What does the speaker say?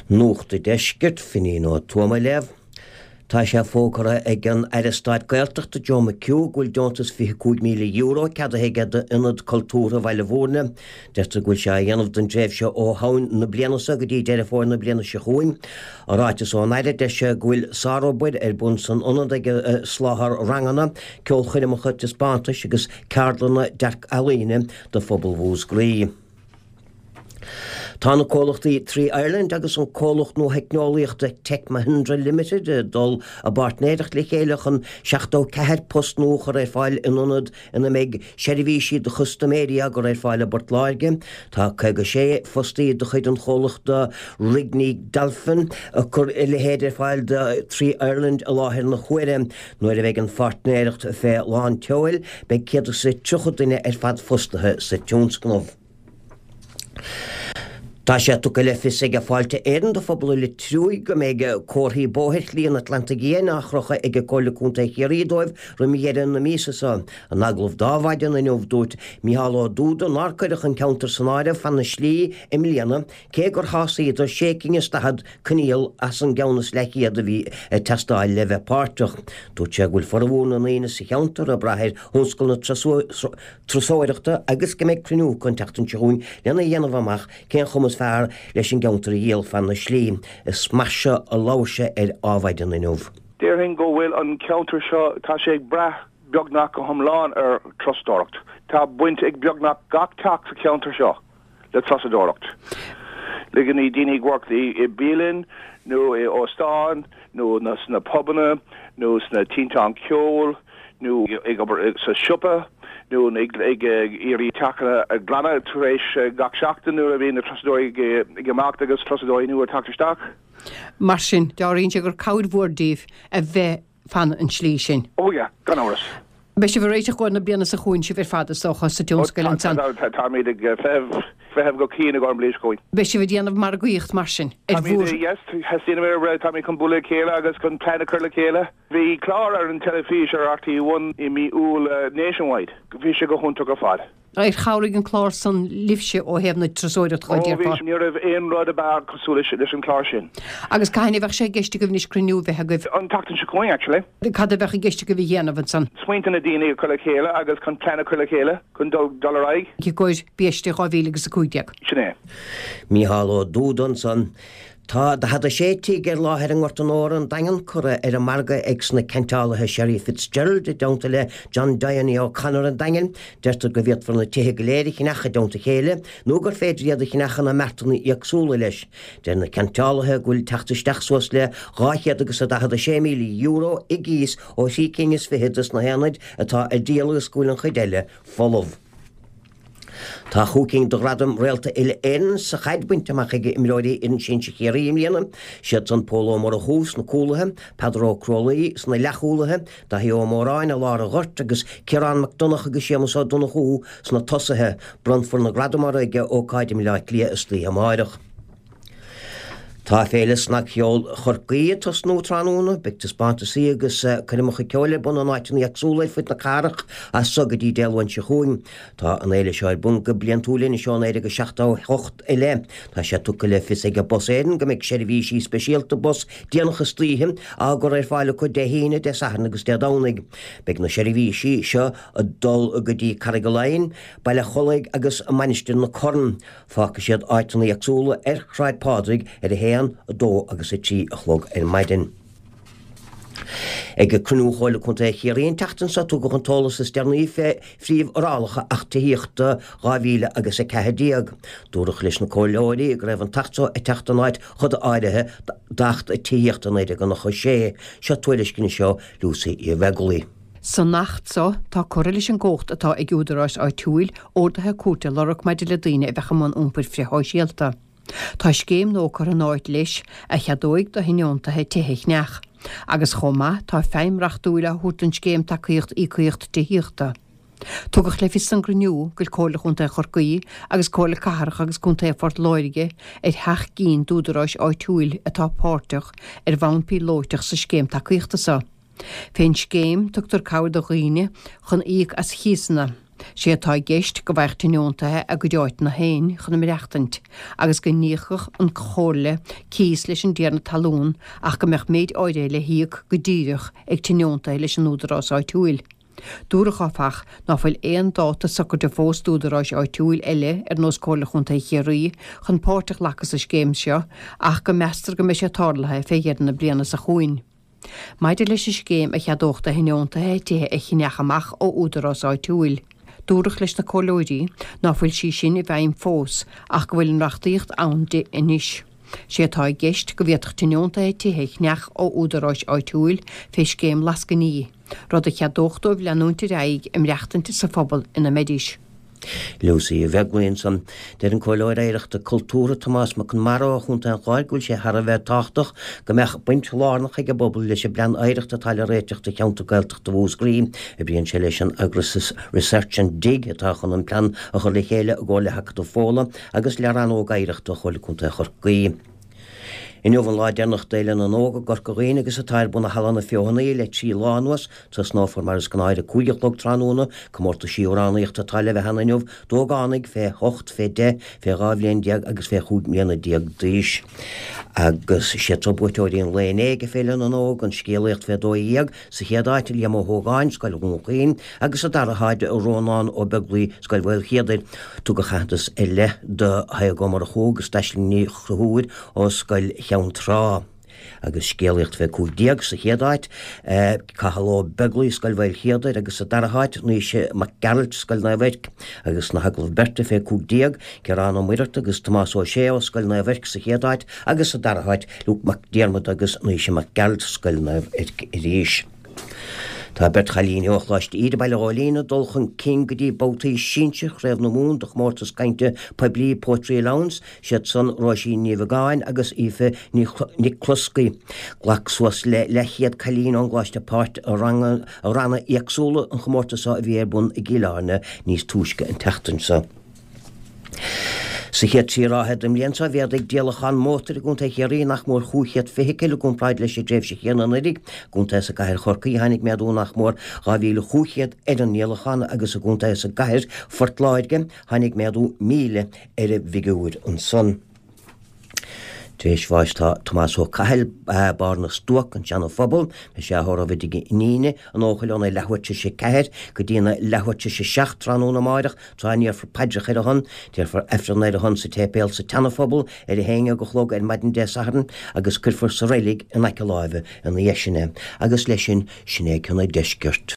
Nuacht an Deiscirt, Finín Ó Tuama á léamh. Tá sé fógartha ag an Aire Stáit Gaeltachta Joe McHugh go bhfuil deontas €25,000 ceadaithe aige d'Ionad Cultúrtha Bhaile Bhúirne. Deirtear go bhfuil sé á dhéanamh don dtréimhse ó Shamhain na bliana seo go dtí Deireadh Fómhair na bliana seo chugainn. I ráiteas ón Aire, deir sé go bhfuil sárobair ar bun san ionad ag soláthar ranganna, ceolchoirmeacha, taispeántais agus ceardlanna dearc-ealaíne do phobal Mhúscraí. Tá na comhlachtaí Three Ireland agus an comhlacht nuatheicneolaíochta Tech Mahindra Limited ag dul i bpáirtnéireacht le chéile chun 74 post nua a chur ar fáil in ionad ina mbeidh seirbhísí do chustaiméirí á gcur ar fáil i bPort Láirge. Tá 56 fostaí de chuid an chomhlachta Rigney Dolphin ag cur a leithéid ar fáil do Three Ireland i láthair na huaire. Nuair a bheidh an pháirtnéireacht fé lán tseoil, beidh 130 duine ar fad fostaithe sa tionscnamh. Tá sé tugtha le fios ag Fáilte Éireann do phobal an Leitriúigh go mbeidh comharthaí bóthair Shlí an Atlantaigh Fhiáin á chrochadh ag Comhairle Contae Chiarraí dóibh roim dheireadh na míosa seo. In agallamh d'Adhmhaidin inniu dúirt Micheál Ó Dúda nár cuireadh an ceantar san áireamh fan na slí i mbliana cé gur shásaíodar sé cinn is 40 coinníoll as an gceann is leathchéad a bhí ag teastáil le bheith páirteach. Dúirt sé go bhfuil formhór na ndaoine sa cheantar ag brath ar thionscal na turasóireachta agus go mbeidh cruinniú acu an tseachtain seo chugainn lena dhéanamh amach cén chuma is fearr leis an gceantar a dhíol fan na slí. Is mar seo a labhair sé ar Adhmhaidin inniu. Déarfainn go bhfuil an ceantar seo, tá sé ag brath beagnach go hiomlán ar thurasóireacht. Tá baint ag beagnach gach teach sa cheantar seo le turasóireacht. Le go daoine ag work i bialann nó i óstán nó sna pubanna nó sna tinteán ceoil nó ag obair sa siopa nó ag iarraidh teachanna a ghlanadh tar éis gach seachtain nuair a bhíonn na turasóirí ag imeacht agus turasóirí nua ag teacht isteach. Mar sin, dealraíonn sé gur cabhair mhór daoibh a bheith fan an tslí sin. Oh yeah, gan amhras. Beidh sibh ag réiteach i gcomhair na bliana seo chugainn, sibh ar fad, is dócha, sa tionscal ansan. Táimid ag feitheamh, feitheamh go cian i gcomhair an bhliain seo chugainn. Beidh sibh ag déanamh margaíocht mar sin, ar bhur. Táimid, yes, déanamh, táimid chun bualadh le chéile agus chun plean a chur le chéile. Bhí clár ar an teilifís ar RTÉ One i mí Iúil, Nationwide. Bhí sé go hiontach ar fad. Ar chabhraigh an clár san libhse ó thaobh na turasóireachta dhó, déarfá? Ó bhí, ní raibh aon rud ab fhearr cosúil leis an chlár sin. Agus cathain a bheadh sé i gceist agaibh anois cruinniú a bheith agaibh? An tseachtain seo chugainn, actually. Cad a bheadh i gceist agaibh a dhéanamh ansan? Smaointe na daoine a chur le chéile agus chun plean a chur le chéile chun dul dul ar aghaidh. I gcomhair Bieste 2015. Sin é. Mícheál Ó Dúda ansan. Tá 46 tigh ar láthair i nGort an Óir, an Daingean, curtha ar an margadh ag sna ceantálaithe Sherry Fitzgerald i dteannta le John Diony O'Connor an Daingin. Deirtear go bhféadfar na tithe go léir a cheannach i dteannta a chéile nó gur féidir iad a cheannach ina mbeartanna éagsúla leis. Deir na ceantálaithe go bhfuil teacht isteach suas le €246,000 i gcíos ó thrí cinn is fichead des na haonaid atá ar díol agus go bhfuil an chuid eile folamh. Tá chúig cinn de ghradaim Réalta Uile-Éireann sa chaid bainte amach ag imreoirí fhoireann sinsir Chiarraí i mbliana. Siad san Pól Ó Murchú sna cúlaithe, Peadar Ó Crualaoi sna leathchúlaithe, Daithí Ó Móráin i lár an ghoirt agus Ciarán Mac Donncha agus Séamus Ó Donnchú sna tosaithe. Bronnfar na gradaim orthu ag ócáid i mBleá Cliath istoíche amáireach. Tá Féile Snagcheoil Chorcaí ag tosnú tráthnóna. Beidh taispeántasaí agus coirmeacha ceoil ar bun in áiteanna éagsúla ar fud na cathrach as so go dtí Dé Luain seo chugainn. Tá an fhéile seo ar bun go bliantúil anois ó 1978 i leith. Tá sé tugtha le fios ag Bus Éireann go mbeidh seirbhísí speisialta bus déanach istoíche á gcur ar fáil acu Dé hAoine, Dé Sathairn agus Dé Domhnaigh. Beidh na seirbhísí seo ag dul go dtí Carraig Laighin, Baile Chollaigh agus Mainistir na Corn. Fágfaidh siad áiteanna éagsúla ar Shráid Phádraig ar 1, 2 agus 3 a chlog ar maidin. Ag cruinniú Chomhairle Contae Chiarraí an tseachtain seo tugadh an t-eolas is deireanaí fé phríomhfhorálacha Acht Tithíochta 2014. Dúradh leis na comhairleoirí go raibh an tAcht seo ag teacht in áit choda áirithe d'Acht Tithíochta 1996. Seo tuairisc anois ó Lucy Uí Bheaglaoi. San Acht so, tá curtha leis an gcumhacht atá ag údaráis áitiúil orduithe cúirte a lorg maidir le daoine a bheadh i mbun iompair frithshóisialta. Tá scéim nua curtha in áit leis a cheadóidh do thionóntaithe tithe a cheannach. Agus chomh maith, tá feidhm reachtúil á thabhairt don scéim Tacaíocht Íocaíocht Tithíochta. Tugadh le fios san gcruinniú go bhfuil Comhairle Chontae Chorcaí agus Comhairle Cathrach agus Contae Phort Láirge ar sheacht gcinn d'údaráis áitiúil atá páirteach ar bhonn píolóiteach sa scéim tacaíochta so. Fén scéim, tugtar cabhair do dhaoine chun íoc as chíosanna. Sé atá i gceist go bhfaigheadh tionóntaithe a gcuid áiteanna féin chun a maireachtaint agus go n-íocfadh an Chomhairle cíos leis an dtiarna talún ach go mbeadh méid áirithe le híoc go díreach ag tionóntaithe leis an údarás áitiúil. Dúradh, áfach, ná fuil aon dáta socraithe fós d'údaráis áitiúil eile ar nós Comhairle Chontae Chiarraí chun páirt a ghlacadh sa scéim seo ach go meastar go mbeidh sé tarlaithe fé dheireadh na bliana seo chugainn. Maidir leis an scéim a cheadódh do thionóntaithe tithe a cheannach amach ó údarás áitiúil, dúradh leis na comhairleoirí ná fuil sí sin i bhfeidhm fós ach go bhfuil an reachtaíocht ann di anois. Sé atá i gceist go bhféadfadh tionóntaithe tithe a cheannach ó údaráis áitiúil fé scéim lascainí, rud a cheadódh dóibh leanúint ar aghaidh ag maireachtaint sa phobal ina mbeidís. Lucy Uí Bheaglaoí ansan. Deir an Comhairleoir Oidhreachta Cultúrtha Tomás Mac Conmara ó Chontae an Chláir go bhfuil sé thar a bheith tábhachtach go mbeadh baint lárnach ag an bpobal leis an bplean oidhreachta atá le réiteach do cheantar Gaeltachta Mhúscraí. Oibríonn sé leis an eagras Research and Dig atá chun an plean a chur le chéile i gcomhar le hAcadamh Fódhla agus le Rannóg Oidhreachta Chomhairle Contae Chorcaí. Inniu an lá deireanach d'Fhéile na nÓg i gCorca Dhuibhne agus atá ar bun i Halla na Feothanaí le 3 lá anuas. Tosnófar mar is gnáth ar a 5 a chlog tráthnóna. Comórtaisí amhránaíochta atá le bheith ann inniu d'ógánaigh fé hocht, fé dheich, fé 12 bhliain agus fé chúig mbliana déag d'aois. Agus is iad seo buaiteoirí an lae inné ag Féile na nÓg, an scéalaíocht fé 12, sa chéad áit, Liam Ó hÓgáin, Scoil Dhún Chaoin, agus sa dara háit, Rónán Ó Beaglaoi, Scoil Mhaoilchéadair. Tugadh aitheantas ar leith do Thaidhg Ó Murchú agus d'Aisling Ní Chonchúir ó Scoil Cheann Trá. Agus scéalaíocht fé 15 sa chéad áit, Cathal Ó Beaglaoi, Scoil Mhaoilchéadair, agus sa dara háit, Naoise Mac Gearailt, Scoil Naomh Eirc. Agus sna hagallaimh beirte fé 15, Ciarán Ó Muircheartaigh agus Tomás Ó Sé ó Scoil Naomh Eirc sa chéad áit agus sa dara háit, Luke Mac Diarmada agus Naoise Mac Gearailt, Scoil Naomh Eirc arís. Tá beirt chailíní ó Choláiste Íde, Baile Ghóilín, ag dul chun cinn go dtí babhtaí sinsir Chraobh na Mumhan de chomórtas cainte poiblí Poetry Allowance, siad san Róisín Ní Bheagáin agus Aoife Nic Cluscaigh. Ghlac suas le leathchéad cailín ón gcoláiste páirt i ranna éagsúla an chomórtais seo a bhí ar bun i gCill Airne níos túisce an tseachtain seo. Sa chéad trí ráithe den bhliain seo, mhéadaigh díolachán mótair i gContae Chiarraí nach mór 500 feithicil i gcomparáid leis an dtréimhse chéanna anuraidh. I gcontae is i gcathair Chorcaí, tháinig méadú nach mór 2,500 ar an ndíolachán agus i gcontae is i gcathair Phort Láirge, tháinig méadú 1,000 ar an bhfigiúr ansan. Tar éis bháis tá Tomás Ó Cathail, Barr na Stuac, An Seana Phobal. Beidh sé á thórramh i dtigh a iníne, An Eochaill óna leathuair tar éis a 4 go dtína leathuair tar éis a 7 tráthnóna amáireach, tráth a ndéarfar paidreacha ar a shon. Déarfar Aifreann ar a shon sa tséipéal sa tSeana-Phobal ar a haon dhéag a chlog ar maidin Dé Sathairn agus cuirfear sa reilig in aice láimhe ina dhiaidh sin é. Agus leis sin, sin é cionn an deiscirt.